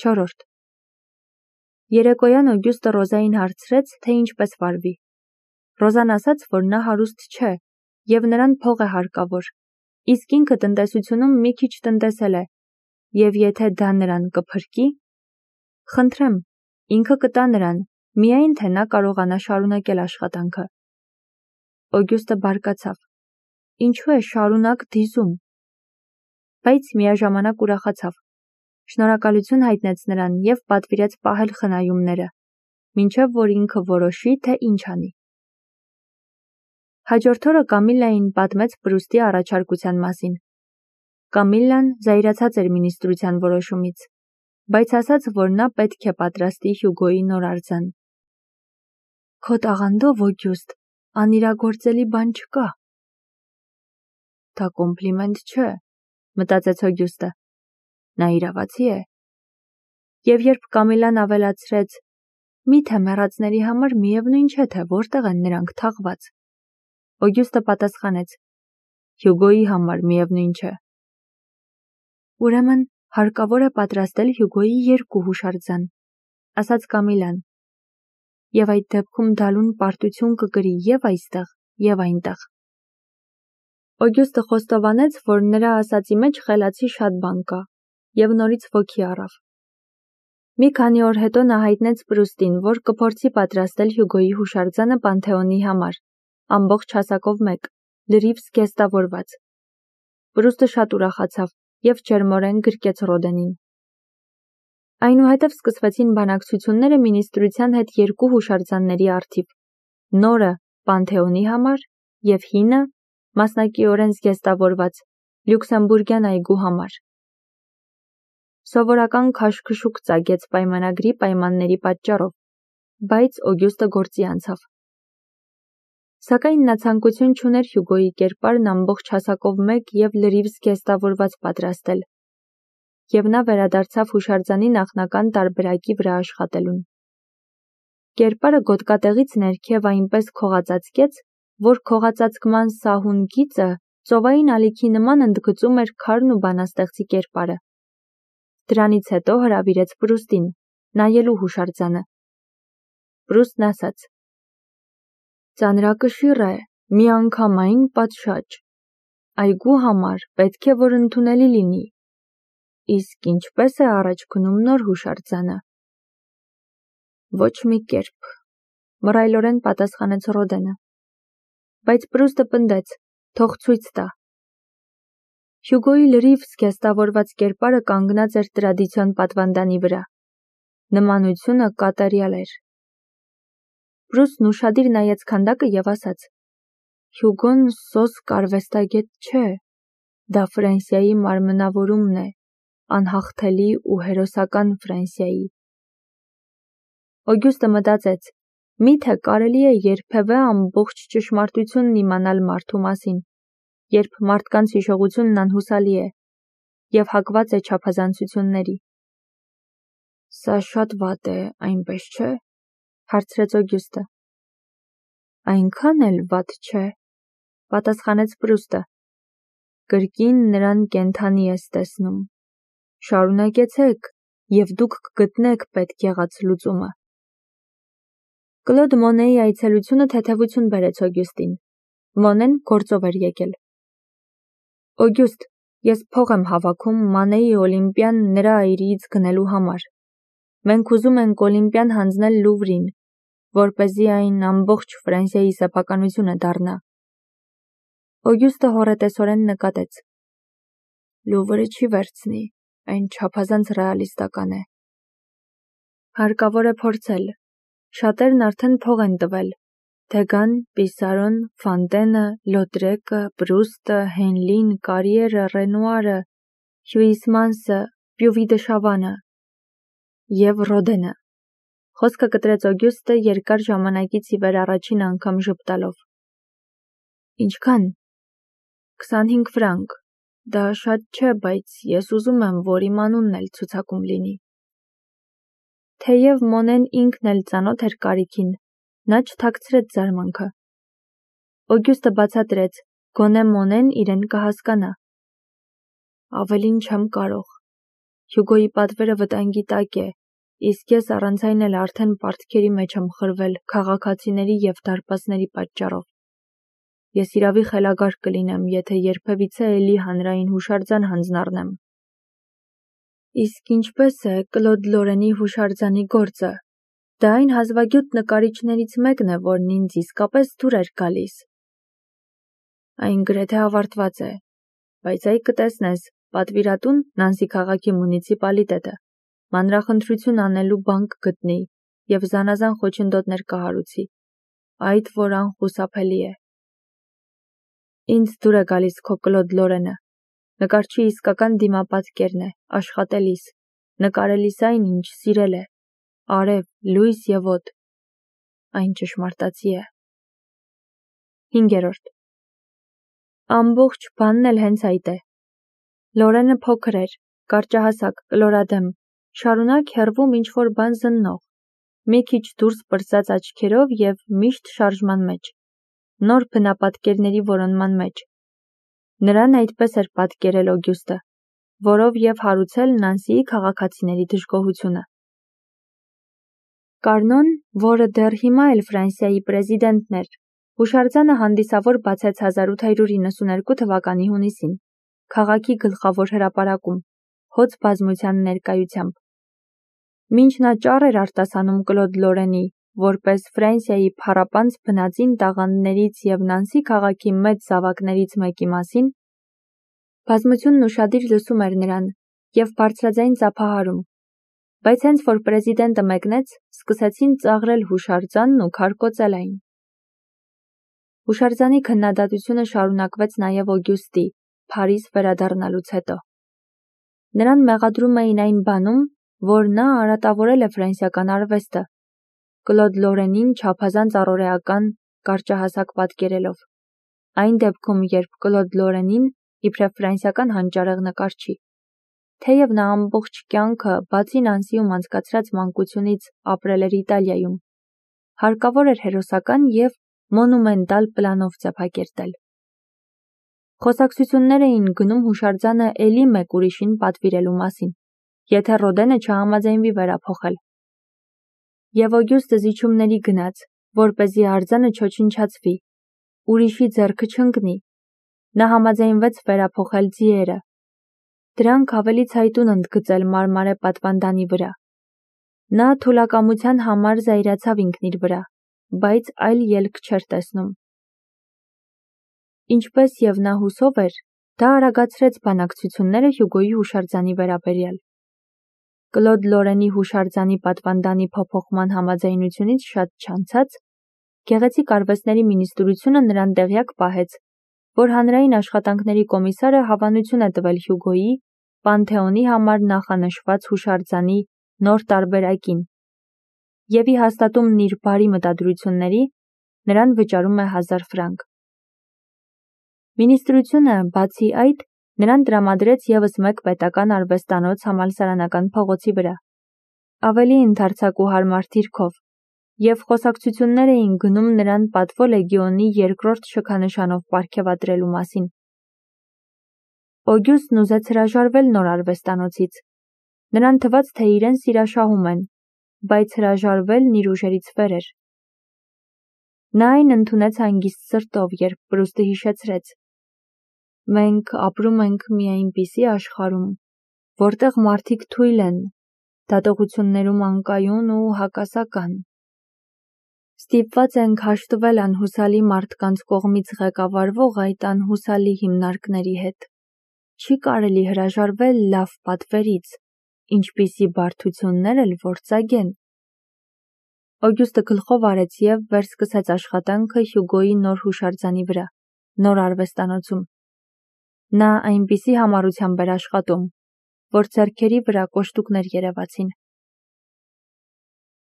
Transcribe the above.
4. Երեկոյան Օգյուստը Ռոզային հարցրեց, թե ինչպես վարվի։ Ռոզան ասաց, որ նա հարուստ չէ, և նրան փող է հարկավոր, իսկ ինքը տնտեսությունում մի քիչ տնտեսել է, և եթե դա նրան կփրկի, խնդրեմ, ինքը կտա նրան, միայն թե նա կարողանա շարունակել աշխատանքը։ Օգյուստը բարկացավ. Ինչու է շարունակ դիզում։ Բայց միաժամանակ ուրախացավ։ Շնորհակալություն հայտնեց նրան և պատվիրեց պահել խնայումները, մինչև որ ինքը որոշի, թե ինչ անի։ Հաջորդ օրը Կամիլլային պատմեց Պրուստի առաջարկության մասին։ Կամիլլան զայրացած էր մինիստրության որոշումից, բայց ասաց, որ նա պետք է պատրաստի Հյուգոյի նոր արձան։ Քո տաղանդով, Օգյուստ, անիրագործելի բան չկա։ Դա կոմպլիմենտ չէ, մտածեց Օգյուստը։ Նա իրավացի է։ Եվ երբ Կամիլլան ավելացրեց. Միթե մեռածների համար միևնույն չէ, թե որտեղ են նրանք թաղված։ Օգյուստը պատասխանեց. Հյուգոյի համար միևնույն չէ։ Ուրեմն հարկավոր է պատրաստել Հյուգոյի 2 հուշարձան, ասաց Կամիլլան։ Եվ այդ դեպքում դալուն պարտություն կկրի և այստեղ, և այնտեղ։ Օգյուստը խոստովանեց, որ նրա ասածի մեջ խելացի շատ բան կա, և նորից ոգի առավ։ Մի քանի օր հետո նա հայտնեց Պրուստին, որ կփորձի պատրաստել Հյուգոյի հուշարձանը Պանթեոնի համար, ամբողջ հասակով մեկ, լրիվ զգեստավորված։ Պրուստը շատ ուրախացավ և ջերմորեն գրկեց Ռոդենին։ Այնուհետև սկսվեցին բանակցությունները մինիստրության հետ 2 հուշարձանների առթիվ, նորը Պանթեոնի համար և հինը, մասնակիորեն զգեստավորված, Լյուքսեմբուրգյան այգու համար։ Սովորական քաշքշուկ ծագեց պայմանագրի պայմանների պատճառով, բայց Օգյուստը գործի անցավ։ Սակայն նա ցանկություն չուներ Հյուգոյի կերպարն ամբողջ հասակով մեկ և լրիվ զգեստավորված պատրաստել, և նա վերադարձավ հուշարձանի նախնական տարբերակի վրա աշխատելուն։ Կերպարը գոտկատեղից ներքև այնպես քողածածկեց, որ քողածածկման սահուն գիծը ծովային ալիքի նման ընդգծում էր քարն ու բանաստեղծի կերպարը։ Դրանից հետո հրավիրեց Պրուստին, նայելու հուշարձանը։ Պրուստն ասաց. Ծանրակշիռ է, միանգամայն պատշաճ։ Այգու համար պետք է, որ ընդունելի լինի։ Իսկ ինչպես է առաջ գնում նոր հուշարձանը։ Ոչ մի կերպ, մռայլորեն պատասխանեց Ռոդենը։ Բայց Պրուստը պնդեց, թող ցույց տա։ Հյուգոյի լրիվ զգեստավորված կերպարը կանգնած էր տրադիցիոն պատվանդանի վրա։ Նմանությունը կատարյալ էր։ Պրուստն ուշադիր նայեց քանդակը և ասաց. Հյուգոն սոսկ արվեստագետ չէ, դա Ֆրանսիայի մարմնավորումն է, անհաղթելի ու հերոսական Ֆրանսիայի։ Օգյուստը մտածեց. միթե կարելի է երբևէ ամբողջ ճշմարտությունն իմանալ մարդու մասին, երբ մարդկանց հիշողությունն անհուսալի է և հակված է չափազանցությունների։ Սա շատ վատ է, այնպես չէ, հարցրեց Օգյուստը։ Այնքան էլ վատ չէ, պատասխանեց Պրուստը։ Կրկին նրան կենդանի ես տեսնում։ Շարունակեցեք, և դուք կգտնեք պետք եղած լուծումը։ Կլոդ Մոնեի այցելությունը թեթևություն բերեց Օգյուստին։ Մոնեն գործով էր եկել։ Օգյուստ, ես փող եմ հավաքում Մանեի Օլիմպիան նրա այրիից գնելու համար։ Մենք ուզում ենք Օլիմպիան հանձնել Լուվրին, որպեսզի այն ամբողջ Ֆրանսիայի սեփականությունը դառնա։ Օգյուստը հոռետեսորեն նկատեց. Լուվրը չի վերցնի, այն չափազանց ռեալիստական է։ Հարկավոր է փորձել։ Շատերն արդեն փող են տվել. Դեգան, Պիսարոն, Ֆանտենը, Լոտրեկը, Պրուստը, Հենլին, Կարիերը, Ռենուարը, Հյուիսմանսը, Պյուվի դե Շավանը և Ռոդենը։ Խոսքը կտրեց Օգյուստը երկար ժամանակից ի վեր առաջին անգամ ժպտալով։ Ինչքան։ 25 ֆրանկ։ Դա շատ չէ, բայց ես ուզում եմ, որ իմ անունն էլ ցուցակում լինի։ Թեև Մոնեն ինքն էլ ծանոթ էր կարիքին, նա չթաքցրեց զարմանքը։ Օգյուստը բացատրեց, գոնե Մոնեն իրեն կհասկանա։ Ավելին չեմ կարող։ Հյուգոյի պատվերը վտանգի տակ է, իսկ ես առանց այն էլ արդեն պարտքերի մեջ եմ խրվել քաղաքացիների և դարպասների պատճառով։ Ես իրավի խելագար կլինեմ, եթե երբևիցե էլի հանրային հուշարձան հանձնառնեմ։ Իսկ ինչպես է Կլոդ Լորենի հուշարձանի գործը։ Դա այն հազվագյուտ նկարիչներից մեկն է, որն ինձ իսկապես դուր էր գալիս։ Այն գրեթե ավարտված է, բայց այ կտեսնես, պատվիրատուն Նանսի քաղաքի մունիցիպալիտետը մանրախնդրություն անելու բան կգտնի և զանազան խոչընդոտներ կհարուցի, այդ որ անխուսափելի է։ Ինձ դուր է գալիս քո Կլոդ Լորենը, նկարչի իսկական դիմապատկերն է, աշխատելիս, նկարելիս այն, ինչ սիրել է, արև, լույս և օդ, այն ճշմարտացի է։ 5. Ամբողջ բանն էլ հենց այդ է։ Լորենը փոքր էր, կարճահասակ, կլորադեմ, շարունակ հեռվում ինչ-որ բան զննող, մի քիչ դուրս պրծած աչքերով և միշտ շարժման մեջ, նոր բնապատկերների որոնման մեջ։ Նրան այդպես էր պատկերել Օգյուստը, որով և հարուցել Նանսիի քաղաքացիների դժգոհությունը։ Կարնոն, որը դեռ հիմա էլ Ֆրանսիայի պրեզիդենտն էր, հուշարձանը հանդիսավոր բացեց 1892 թվականի հունիսին, քաղաքի գլխավոր հրապարակում, հոծ բազմության ներկայությամբ։ Մինչ նա ճառ էր արտասանում Կլոդ Լորենի, որպես Ֆրանսիայի փառապանծ բնածին տաղանդներից և Նանսի քաղաքի մեծ զավակներից մեկի մասին, բազմությունն ուշադիր լսում էր նրան և բարձրաձայն ծափահարում, բայց հենց որ պրեզիդենտը մեկնեց, սկսեցին ծաղրել հուշարձանն ու քարկոծել այն։ Հուշարձանի քննադատությունը շարունակվեց նաև Օգյուստի, Փարիզ վերադառնալուց հետո։ Նրան մեղադրում էին այն բանում, որ նա արատավորել է ֆրանսիական արվեստը, Կլոդ Լորենին չափազանց առօրեական, կարճահասակ պատկերելով։ Այն դեպքում, երբ Կլոդ Լորենին, իբրև ֆրանսիական հանճարեղ նկարչի, թեև նա ամբողջ կյանքը, բացի Նանսիում անցկացրած մանկությունից, ապրել էր Իտալիայում, հարկավոր էր հերոսական և մոնումենտալ պլանով ձևակերտել։ Խոսակցություններ էին գնում հուշարձանը էլի մեկ ուրիշին պատվիրելու մասին, եթե Ռոդենը չհամաձայնվի վերափոխել։ Եվ Օգյուստը զիջումների գնաց, որպեսզի արձանը չոչնչացվի, ուրիշի ձեռքը չընկնի։ Նա համաձայնվեց վերափոխել ձիերը։ Դրանք ավելի ցայտուն ընդգծել մարմարե պատվանդանի վրա։ Նա թուլակամության համար զայրացավ ինքն իր վրա, բայց այլ ելք չէր տեսնում։ Ինչպես և նա հուսով էր, դա արագացրեց բանակցությունները Հյուգոյի հուշարձանի վերաբերյալ։ Կլոդ Լորենի հուշարձանի պատվանդանի փոփոխման համաձայնությունից շատ չանցած, Գեղեցիկ արվեստների մինիստրությունը նրան տեղյակ պահեց, որ հանրային աշխատանքների կոմիսարը հավանություն է տվել Հյուգոյի Պանթեոնի համար նախանշված հուշարձանի նոր տարբերակին և ի հաստատումն իր բարի մտադրությունների նրան վճարում է 1000 ֆրանկ։ Մինիստրությունը, բացի այդ, նրան տրամադրեց ևս մեկ պետական արվեստանոց համալսարանական փողոցի վրա, ավելի ընդարձակ ու հարմար դիրքով, և խոսակցություններ էին գնում նրան Պատվո լեգիոնի 2-րդ շքանշանով պարգևատրելու մասին։ Օգյուստն ուզեց հրաժարվել նոր արվեստանոցից։ Նրան թվաց, թե իրեն սիրաշահում են, բայց հրաժարվելն իր ուժերից վեր էր։ Նա այն ընդունեց հանգիստ սրտով, երբ Պրուստը հիշեցրեց. «Մենք ապրում ենք մի այնպիսի աշխարհում, որտեղ մարդիկ թույլ են, դատողություններում անկայուն ու հակասական։ Ստիպված ենք հաշտվել անհուսալի մարդկանց կողմից ղեկավարվող այդ անհուսալի հիմնարկների հետ։ Չի կարելի հրաժարվել լավ պատվերից, ինչպիսի բարդություններ էլ որ ծագեն»։ Օգյուստը գլխով արեց և վերսկսեց աշխատանքը Հյուգոյի նոր հուշարձանի վրա, նոր արվեստանոցում։ Նա այնպիսի համառությամբ էր աշխատում, որ ձեռքերի վրա կոշտուկներ երևացին։